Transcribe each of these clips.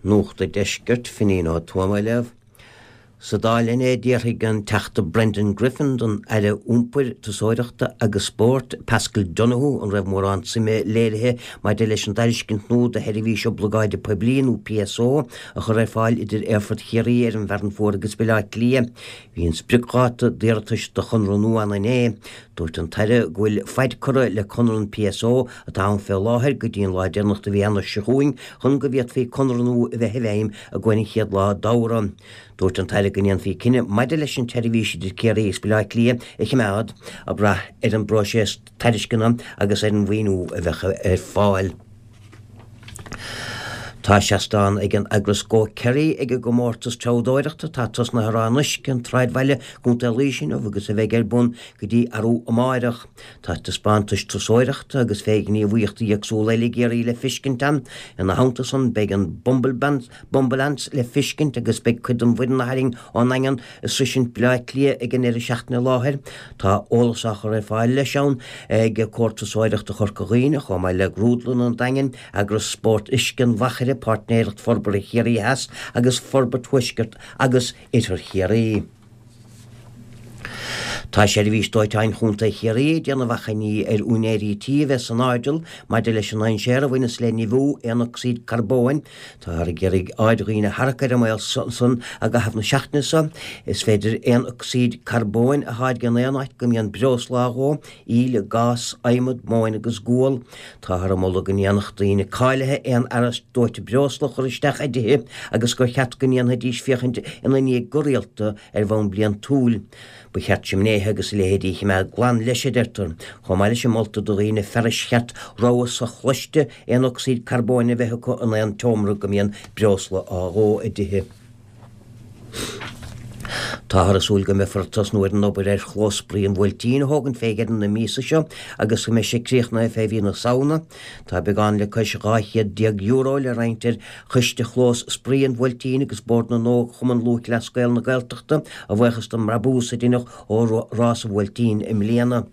Nuacht an Deiscirt, Finín Ó Tuama á léamh. Sa Dáil inné d'fhiafraigh an Teachta Brendan Griffin den Aire Iompair, Turasóireachta agus Spóirt, Paschal Donohoe an raibh mórán suime léirithe maidir leis an dtairiscint nua do sheirbhís oblagáide poiblí nó PSO a chur ar fáil idir Aerfort Chiarraí ar an bhFearann Fuar agus Baile Átha Cliath. Bhí an spriocdháta d'iarratais do chonradh nua ann inné. Dúirt an tAire go bhfuil faid curtha le conradh an PSO atá ann fé láthair go dtí an lá deireanach de mhí Eanáir seo chugainn chun go bhféadfaí conradh nua a bheith i bhfeidhm i gcomhair an chéad lá d'Fheabhra. Dúirt an tAire go ndéanfaí cinneadh maidir leis an tseirbhís idir Ciarraí agus Baile Átha Cliath a choimeád, ag brath ar an bpróiseas tairisceana agus ar an mhaoiniú a bheadh ar fáil. Tá seastán ag an eagras Go Kerry ag an gcomórtas treabhdóireachta atá tosnaithe i Ráth an Uisce, an tSráidbhaile, Contae Laoise inniu agus a bheidh ar bun go dtí arú amáireach. Tá taispeántais turasóireachta agus fé ghníomhaíochtaí éagsúla eile i gCiarraí le fiscint ann. Ina theannta san beidh an Bumbleance le fiscint agus beidh cuid den bhfoireann a tharraing ón nDaingean ag sroisint Baile Átha Cliath ag an ndeireadh seachtaine i láthair. Tá eolas á chur ar fáil leis ann ag Comhar Turasóireachta Chorca Dhuibhne chomh maith le Grúdlann an Daingin, Eagras Spórt Uisce an Mhachaire, Páirtnéireacht Forbartha Chiarraí Theas agus Forbairt Thuaisceart agus Oirthear Chiarraí. Tá Seirbhís Dóiteáin Chontae Chiarraí ag déanamh achainí ar úinéirí tí a bheith san airdeall maidir leis an ndainséar a bhaineas le nimhiú aonocsaíd carbóin. Táthar ag iarraidh aird dhaoine a tharrac ar an mbaol san i gcaitheamh na seachtaine seo. Is féidir aonocsaíd carbóin a tháirgeadh in aon áit go mbíonn breosla á dhó, íle, gás, adhmad, móin agus gual. Táthar ag moladh go ndéanfadh daoine cáilithe aon fhearas dóite breosla a chur isteach i dtithe agus gur cheart go ndéanfaidís féachaint ina ndiaidh go rialta ar bhonn bliantúil. Ba cheart simnéithe agus a leithéidí a choimeád glan leis, a deirtear. Chomh maith leis sin moltar do dhaoine fearais cheart rabhadh sochloiste aonocsaíd carbóin a bheith acu in aon tseomra go mbíonn breosla á dhó i dtithe. Táthar ag súil go mbeifear ag tosnú ar an obair ar Chlós Spraoi an Bhuailtín a thógaint fé dheireadh na míosa seo agus go mbeidh sé críochnaithe fé mhí na Samhna. Tá beagán le cois €1200 le roinnt ar Choiste Chlós Spraoi an Bhuailtín agus Bord na nÓg Chumann Lúthchleas Gael na Gaeltachta a bhuíochas don mbrabús a deineadh ó Rás an Bhuailtín i mbliana.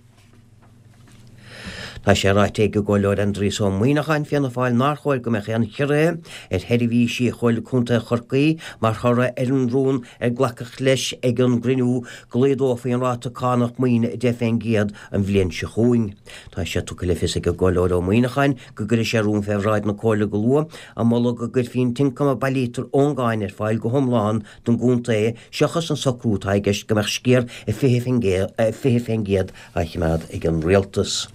Tá sé ráite ag an gComhairleoir Aindrias Ó Muimhneacháin, Fianna Fáil, nár chóir go mbeadh aon chiorruithe ar sheirbhísí Chomhairle Contae Chorcaí mar thoradh ar an rún ar glacadh leis ag an gcruinniú go laghdófaí an ráta cánach maoine 10% an bhliain seo chugainn. Tá sé tugtha le fios ag an gComhairleoir Ó Muimhneacháin go gcuirfidh sé rún fé bhráid na Comhairle go luath ag moladh go gcuirfí an t-ioncam a bailítear ón gcáin ar fáil go hiomlán don gcontae seachas an socrú atá i gceist go mbeadh sciar 20% á choimeád ag an rialtas.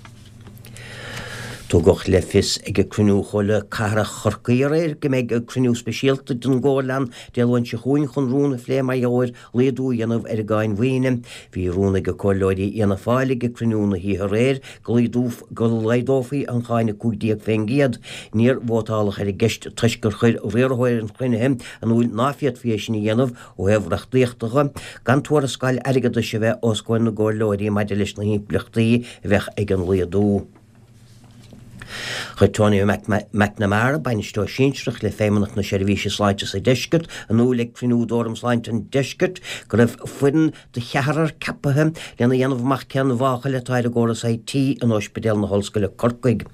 Tugadh le fios ag cruinniú Chomhairle Cathrach Chorcaí aréir go mbeidh cruinniú speisialta den gComhairle ann Dé Luain seo chugainn chun rún a phlé mar gheall ar laghdú a dhéanamh ar an gcáin mhaoine. Bhí rún ag comhairleoirí Fhianna Fáil ag cruinniú na hoíche aréir go laghdófaí an cháin 15%. Níor vótáladh ar an gceist toisc gur chuir riarthóir an chruinnithe in iúl ná féadfaí é sin a dhéanamh ó thaobh reachtaíochta dhe, gan tuarascáil airgeadais a bheith os comhair na gcomhairleoirí maidir leis na himpleachtaí a bheadh ag an laghdú. Chuir Tony McNamara, Bainisteoir Sinsearach le Feidhmeannacht na Seirbhíse Sláinte sa Deisceart, in iúl ag cruinniú d'Fhóram Sláinte an Deiscirt go raibh foireann de cheathrar ceapaithe lena dhéanamh amach cén mháchail atá ar an gcóras IT in Ospidéal na hOllscoile Corcaigh.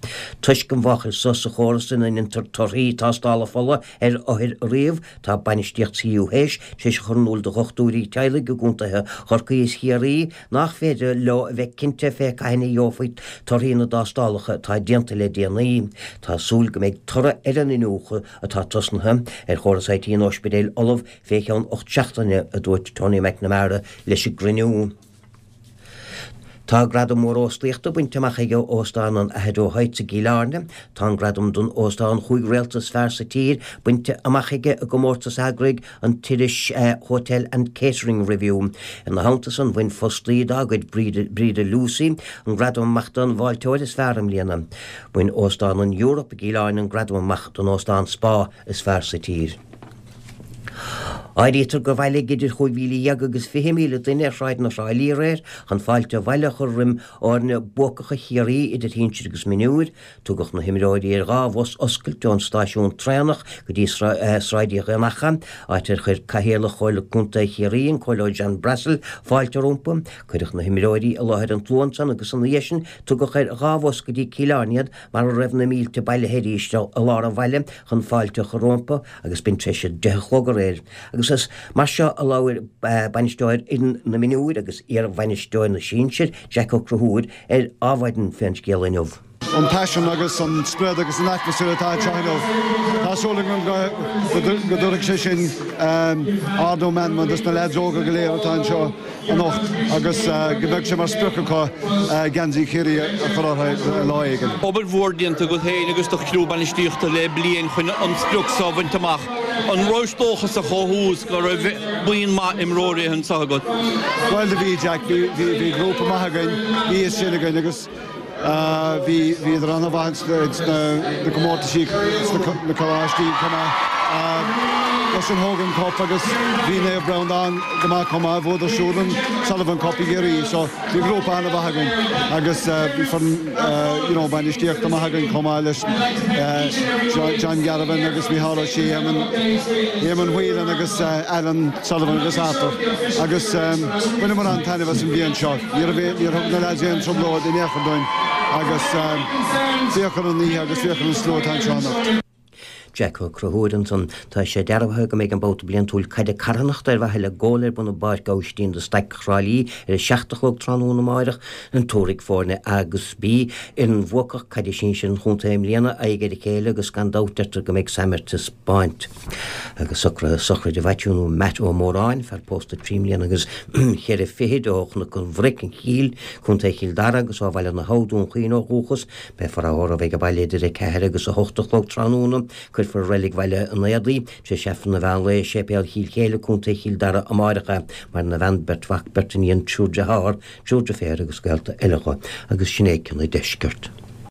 Toisc an mháchail so sa chóras ina ndéantar torthaí tástála fola ar othair a ríomh, tá bainistíocht CUH tar éis a chur in iúl do dhochtúirí teaghlaigh i gcontaetha Chorcaí is Chiarraí nach féidir leo a bheith cinnte fé cathain a gheofaí torthaí na dtástálacha atá déanta le déanaí. Tá súil go mbeidh toradh ar an iniúchadh atá tosnaithe ar chóras IT an ospidéil ullamh fé cheann 8 seachtaine, a dúirt Tony McNamara leis an gcruinniú. Tá gradam mór óstaíochta bainte amach ag Óstán an Aghadoe Heights i gCill Airne. Tá an gradam don óstán chúig réalta is fearr sa tír bainte amach aige i gcomórtas a eagraigh an t-iris Hotel and Catering Review. Ina theannta san bhain fostaí dá gcuid, Breda Lucey, an gradam amach don bhfáilteoir is fearr i mbliana. Bhain Óstán an Europe i gCill Airne an gradam amach don óstán Spa is fearr sa tír. Áirítear gur bhailigh idir 15,000 agus 20,000 duine ar shráideanna Thrá Lí aréir chun fáilte abhaile a chur roim fhoirne buacacha Chiarraí idir shinsir agus mionúir. Tugadh na himreoirí ar dhá bhus oscailte ón stáisiún traenach go dtí Sráid Uí Dhonnchadha, áit ar chuir Cathaoirleach Chomhairle Contae Chiarraí, an Comhairleoir John Brassil, fáilte rompu. Cuireadh na himreoirí i láthair an tslua ansan agus ina dhiaidh sin tugadh ar dhá bhus go dtí Cill Airne iad mar a raibh na mílte bailithe arís i lár an bhaile chun fáilte a chur rompu. agus b'in tar éis a 10 a chlog aréir, agus is mar seo a labhair bainisteoir fhoireann na mionúir agus iar-bhainisteoir na sinsir, Jack Ó Conchúir, ar Adhmhaidin fén scéal inniu. An paisean agus an sprid agus an atmaisféar atá anseo inniu, tá súil agam go dtabharfaidh sé sin ardú meanman dos na leaids óga go léir atá anseo. anocht agus go mbeidh sé mar sprioc acu geansaí Chiarraí a chur orthu lá éigin. Obair mhór déanta agat féin agus do chriú bainistíochta le bliain chun an sprioc seo a bhaint amach. An rabhais dóchasach ó thús go raibh buíon maith imreoirí anseo agat? Bhuel do bhí, Jack. Bhí grúpa maith againn, bhí fhios sin againn agus. Bhí bhíodar an-mhaith ins na comórtaisí sna coláistí chomh maith leis an Hogan Cup agus bhí Naomh Breandán go maith chomh maith, bhuadar siúd an Sullivan Cup i gCiarraí so bhí grúpa an-mhaith againn agus bhí foireann you know bainistíochta maith againn chomh maith leis John Gavin agus Micheál Ó Sé, Éamonn Whelan agus Alan Sullivan agus Arthur agus bhaineamar an-taitneamh as an bhliain seo. Ní raibh, níor thug na leaids aon trioblóid in aon chor dúinn agus féach ar an oíche agus féach ar an slua atá anseo anocht. Jack Ó Conchúir ansan. Tá sé dearbhaithe go mbeidh an babhta bliantúil caide carthanachta ar mhaithe le Goal ar bun i bPáirc Aibhistín de Staic Thrá Lí ar 7 a chlog tráthnóna amáireach. Tabharfaidh foirne A agus B, fhoireann bhuacach caide sinsir an chontae i mbliana, aghaidh ar a chéile agus gan dabht deirtear go mbeidh suim ar taispeáint. Agus socruithe sochraide Mhaitiú nó Matt Ó Móráin, fear pósta 3 mbliana agus cheithre fichid ó Chnoc an Bhric, an Chill, Contae Chill Dara agus ó Bhaile na hAbha, Dún Chaoin ó dhúchas. Beifear á thórramh ag an baile idir 4 agus 8 a chlog tráthnóna. Cuirfear i Reilig Bhaile an Éadaigh, tar éis Aifreann an mheán lae i Séipéal Chill Chéile, Contae Chill Dara amáireach é. Maireann a bhean, beirt mhac, beirt iníon, triúr dearthár, triúr deirféar agus gaolta eile dho. Agus sin é cionn an deiscirt.